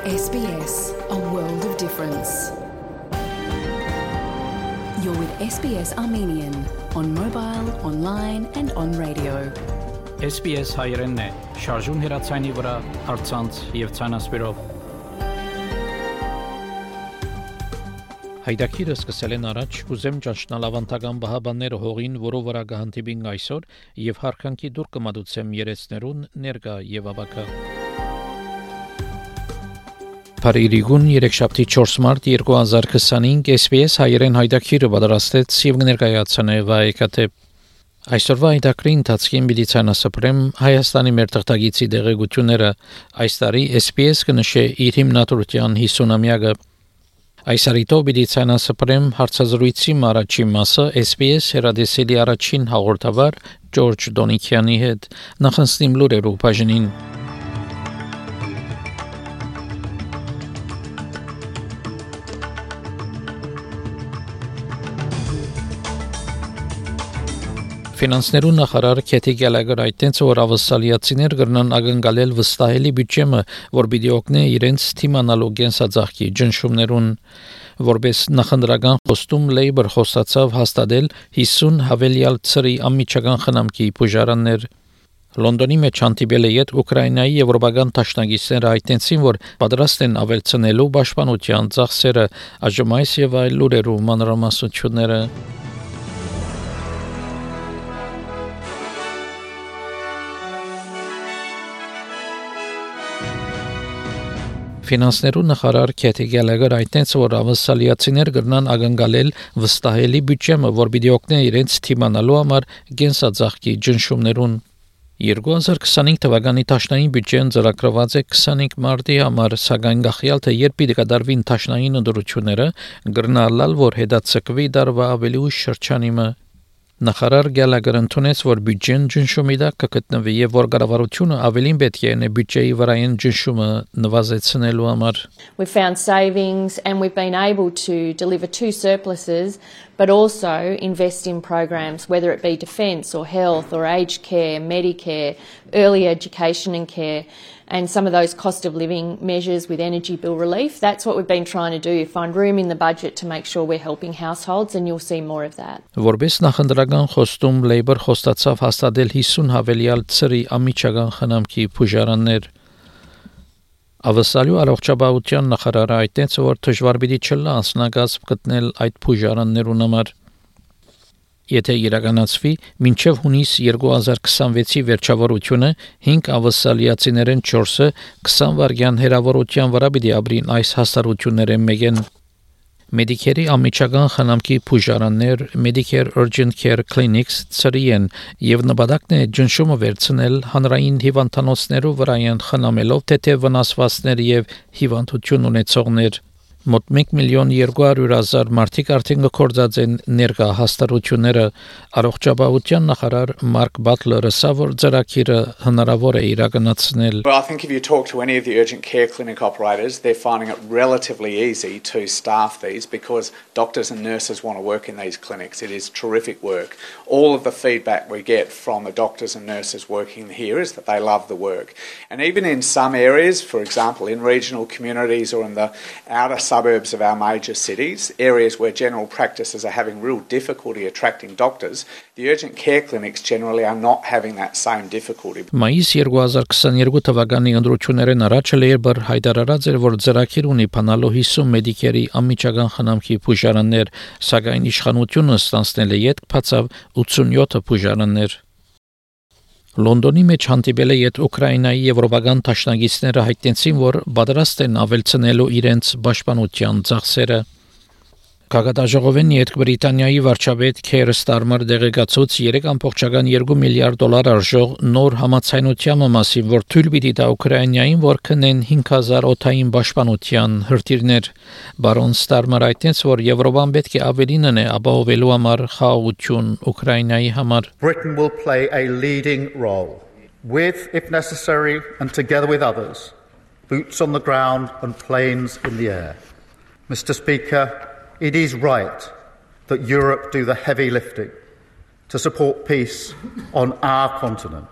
SBS, a world of difference. You're with SBS Armenian on mobile, online and on radio. SBS հայերենն է, շարժուն հեռացանի վրա, առցանց եւ ցանասպիրով։ Հայդակիրը սկսել են առաջ, ուզեմ ճանչնալ ավանդական բահաբանները հողին, որով վրա կհանդիպին այսօր եւ հարկանքի դուր կմատուցեմ երեցներուն ներկա եւ ավակա։ Փարիգուն 3-4 մարտ 2025 SBS հայերեն հայդակիրը պատրաստեց եւ ներկայացնե վայեկատե Այսօրվա հայդակրի ընթացքին պիտի ցանասպրեմ Հայաստանի մեր թղթագիտի դեղեցությունները այս տարի SBS կնշե իր հիմնադրության 50-ամյակը Այս արիտով պիտի ցանասպրեմ հարցազրույցի առաջին մասը SBS հերադեսելի առաջին հաղորդավար Ջորջ Դոնիքյանի հետ նախանցնիմ լուրերով բաժնին Ֆինանսներու նախարար Քեթի Գալագեր այդտենց որ ավսալիացիներ կրնան ակնկալել վստահելի բյուջեմը, որ պիտի օգնի իրենց թիմանալու գենսաձախքի ջնշումներուն, որպես նախնդրական խոստում Labour խոստացավ հաստատել 50 հավելյալ ծրի անմիջական խնամքի բուժարաններ։ Լոնդոնի մեջ հանդիպել է յետ Ուկրաինայի եվրոպական դաշնակիցները այդտենցին, որ պատրաստ են ավելցնելու պաշտպանության ծախսերը, այժմ այս եւ այլ լուրերով մանրամասնությունները Ֆինանսներու նախարար Քեթի Գալագեր այդտենց որ ավսալիացիներ կրնան ակնկալել վստահելի բյուջեմը, որ պիտի օգնի իրենց թիմանալու համար գենսաձախքի ջնշումներուն 2025 թվականի տաշնային բյուջեն ծրագրված է 25 մարտի համար, սակայն գախյալ թե երբ պիտի կատարվին տաշնային ընդրությունները, կրնալալ որ հետաձգվի դարվա ավելի ուշ շրջանիմը Նախարար Գալագերը ընդունեց, որ բյուջեն ջնշումի տակ կգտնվի եւ որ կառավարությունը ավելին պետք է ունի բյուջեի վրային ջնշումը նվազեցնելու համար We've found savings and we've been able to deliver two surpluses but also invest in programs whether it be defence or health or aged care, Medicare, early education and care and some of those cost of living measures with energy bill relief. That's what we've been trying to do, find room in the budget to make sure we're helping households and you'll see more of that. Որպես նախնդրական խոստում Labour խոստացավ հաստատել 50 հավելյալ ծրի անմիջական խնամքի բուժարաններ Ավսալու առողջապահության նախարարը այդտենց որ դժվար պիտի չլա անձնակազմ գտնել այդ բուժարաններուն համար Եթե իրականացվի մինչև հունիս 2026-ի վերջավորությունը 5 ավսալիացիներեն 4-ը 20 վայրկյան հեռավորության վրա պիտի ապրին այս հաստատություններեն մեկեն Medicare-ի անմիջական խնամքի բուժարաններ Medicare Urgent Care Clinics ծրիեն եւ նպատակն է ջնշումը վերցնել հանրային հիվանդանոցներու վրայեն խնամելով թեթև վնասվածքներ եւ հիվանդություն ունեցողներ Մոտ 1,200,000 մարդիկ արդեն գործած են ներկա հաստատությունները առողջապահության նախարար Մարկ Բատլերը սա որ ծրագիրը հնարավոր է իրականացնել Well, I think if you talk to any of the urgent care clinic operators, they're finding it relatively easy to staff these because doctors and nurses want to work in these clinics. It is terrific work. All of the feedback we get from the doctors and nurses working here is that they love the work. And even in some areas, for example, in regional communities or in the outer suburbs of our major cities, areas where general practices are having real difficulty attracting doctors, the urgent care clinics generally are not having that same difficulty. Մայիս 2022 թվականի ընդրություններն առաջ Labour հայտարարած էր, որ ծրագիր ունի փանալու 50 Medicare-ի անմիջական խնամքի բուժարաններ, սակայն իշխանությունը ստանցնել է յետ բացավ 87 բուժարաններ Լոնդոնի մեջ հանդիպել է յետ Ուկրաինայի եվրոպական դաշնակիցները հայտնեցին, որ պատրաստ են ավելցնելու իրենց պաշտպանության ծախսերը Կագադաժողովեն յետ Բրիտանիայի վարչապետ Քեր Ստարմեր դեղեկացուց 3.2 միլիարդ դոլար արժող նոր համաձայնության մասին, որ թույլ պիտի տա Ուկրաինային, որ քնեն 5000 օդային պաշտպանության հրթիռներ Բարոն Ստարմեր այդտենց, որ Եվրոպան պետք է ավելին ունի ապահովելու համար խաղաղություն Ուկրաինայի համար Britain will play a leading role with, if necessary, and together with others, boots on the ground and planes in the air. Mr. Speaker, It is right that Europe do the heavy lifting to support peace on our continent.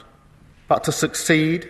But to succeed,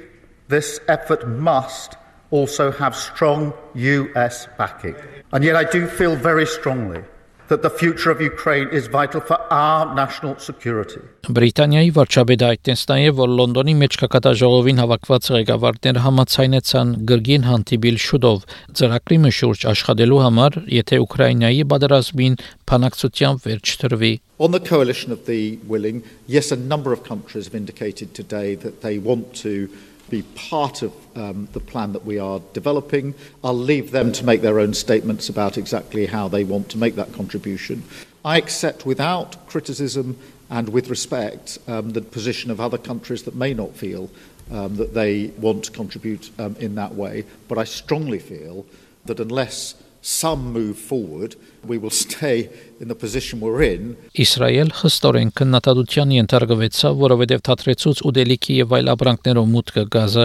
this effort must also have strong US backing. And yet I do feel very strongly that the future of Ukraine is vital for our national security. Բրիտանիայի վարչապետը այդտենց նաև որ Լոնդոնի մեջ կակատաժողովին հավաքված ղեկավարները համաձայնեցան գրգին հանդիպել շուտով ծրագրի շուրջ աշխատելու համար, եթե Ուկրաինայի պատերազմին բանակցությամբ վերջ տրվի. On the coalition of the willing, yes, a number of countries have indicated today that they want to be part of the plan that we are developing. I'll leave them to make their own statements about exactly how they want to make that contribution. I accept without criticism and with respect the position of other countries that may not feel that they want to contribute in that way, but I strongly feel that unless some move forward, we will stay in the position we're in. Իսրայել խստորեն քննադատության ենթարկվեցավ, որովհետև թատրեցուց ուտելիքի եւ այլ ապրանքներով մուտքը գազը.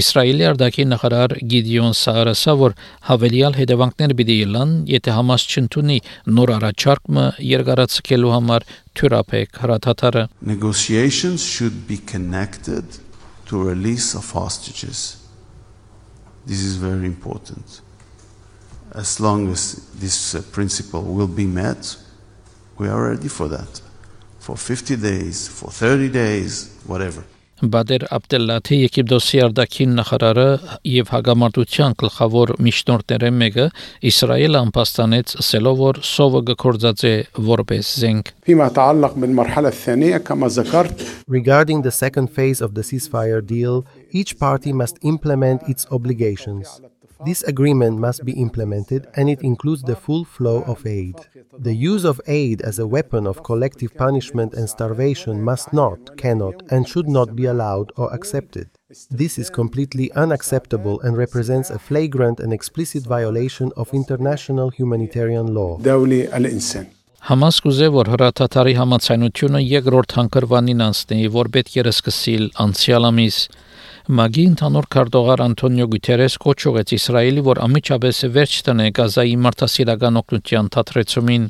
Իսրայելի արտաքին նախարար Գիդեոն Սարը ասավ, որ հավելյալ հետևանքներ պիտի լինեն, եթե Համաս չընդունի նոր առաջարկը երկարացկելու համար թյուրապեք հրաթաթարը. Negotiations should be connected to release of hostages. This is very important. As long as this principle will be met, we are ready for that. For 50 days, for 30 days, whatever. Բադեր Աբդելլաթի Եգիպտոսի արտաքին նախարարը եւ հագամարտության գլխավոր միջնորդները մեկը Իսրայելը ամփոստանեց ասելով որ սովը գործածե որպես զենք. Regarding the second phase of the ceasefire deal, each party must implement its obligations. This agreement must be implemented, and it includes the full flow of aid. The use of aid as a weapon of collective punishment and starvation must not, cannot, and should not be allowed or accepted. This is completely unacceptable and represents a flagrant and explicit violation of international humanitarian law. Համաս կուզե որ հրաթաթարի համաձայնությունը երկրորդ հանգրվանին անցնի, որ պետք է սկսել անցյալ ամիս. Մագի ընդհանուր քարտուղար Անտոնիո Գուտերես կոչեց Իսրայելի, որ ամիջապես վերջ տնե Գազայի մարդասիրական օգնության թատրեցումին.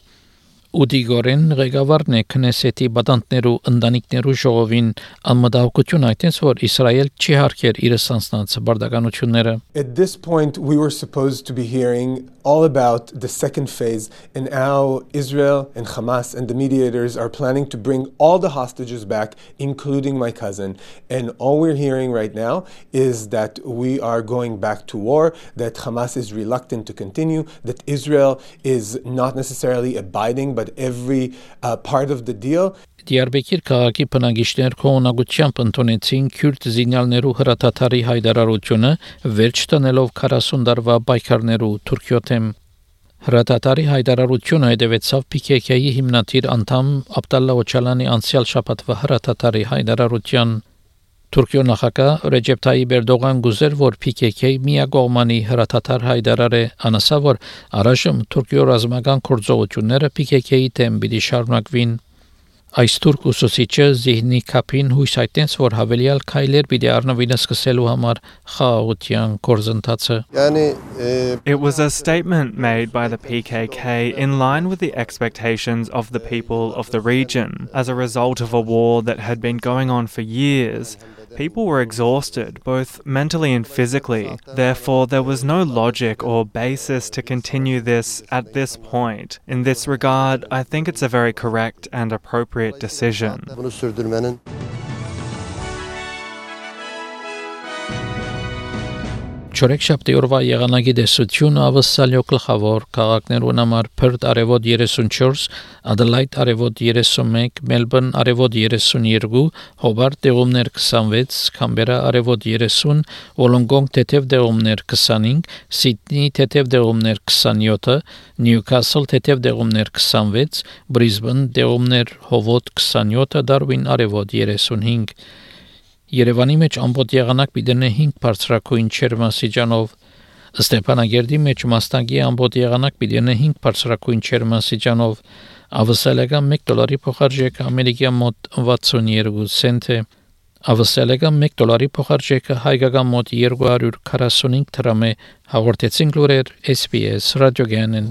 Ուդիգորեն ղեկավարն է քնեսետի բադանտներու ընտանիքներու ժողովին անմտահոգություն այդտենց որ Իսրայել չի հարգեր իր սանձնած բարդականությունները. At this point we were supposed to be hearing all about the second phase and how Israel and Hamas and the mediators are planning to bring all the hostages back, including my cousin. And all we're hearing right now is that we are going back to war, that Hamas is reluctant to continue, that Israel is not necessarily abiding but every part of the deal. Դիարբեկիր քաղաքի բնակիչներ կողմնակությամբ ընդունեցին քյուրդ զինյալներու հրաթաթարի հայտարարությունը վերջ տնելով 40 տարվա պայքարներու Թուրքիոթեմ. Հրաթաթարի հայտարարությունը հետևեցավ PKK-ի հիմնադիր անդամ Աբդալլա Օչալանի անցյալ շաբաթվա հրաթաթարի հայտարարության. Թուրքիո նախագահ Ռեջեփ Թայիփ Էրդողան գուզեր, որ PKK միակողմանի հրաթաթար հայտարարե, անասա որ առայժմ Թուրքիո ռազմական գործողությունները PKK-ի դեմ պիտի շարունակվին. Այս թուրք ուսուցիչը Զիհնի Քապին հույս այդտենց որ հավելյալ քայլեր պիտի առնվին սկսելու համար խաղաղության գործընթացը. It was a statement made by the PKK in line with the expectations of the people of the region. As a result of a war that had been going on for years, people were exhausted, both mentally and physically. Therefore, there was no logic or basis to continue this at this point. In this regard, I think it's a very correct and appropriate decision. Չորեքշաբթի օրվա եղանակի դեսությունը ավսալյո գլխավոր քաղաքներուն համար Perth արևոտ 34, Adelaide արևոտ 31, Melbourne արևոտ 32, Hobart դեղումներ 26, Canberra արևոտ 30, Wollongong թեթև դեղումներ 25, Sydney թեթև դեղումներ 27, Newcastle թեթև դեղումներ 26, Brisbane դեղումներ հովոտ 27, Darwin արևոտ 35. Երևանի մեջ ամբողջ եղանակ պիտի 5 բարձրակույն չերմասիջանով, Ստեփանագերդի մեջ մաստագի ամբողջ եղանակ պիտի 5 բարձրակույն չերմասիջանով, ավսալական $1 փոխարժեքը ամերիկյան մոտ 62 سنت է, ավսալական $1 փոխարժեքը հայկական մոտ 245 դրամ է, հաղորդեցին լուրեր SBS ռադիոգյանեն.